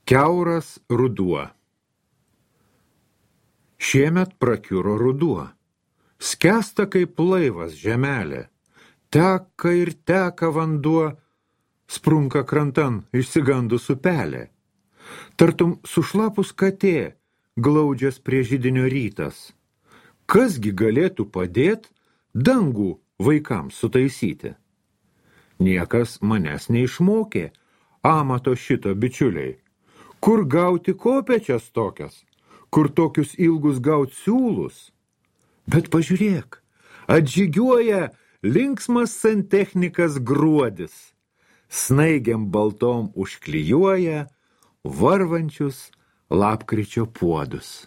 Kiauras ruduo. Šiemet prakiuro ruduo. Skęsta kaip laivas žemelė. Teka ir teka vanduo, sprunka krantan išsigandus upelė. Tartum sušlapus katė, glaudžias prie židinio rytas. Kasgi galėtų padėt dangų vaikams sutaisyti? Niekas manęs neišmokė amato šito, bičiuliai. Kur gauti kopečias tokias? Kur tokius ilgus gaut siūlus? Bet pažiūrėk, atžygiuoja linksmas santechnikas gruodis. Snaigiam baltom užklijuoja varvančius lapkričio puodus.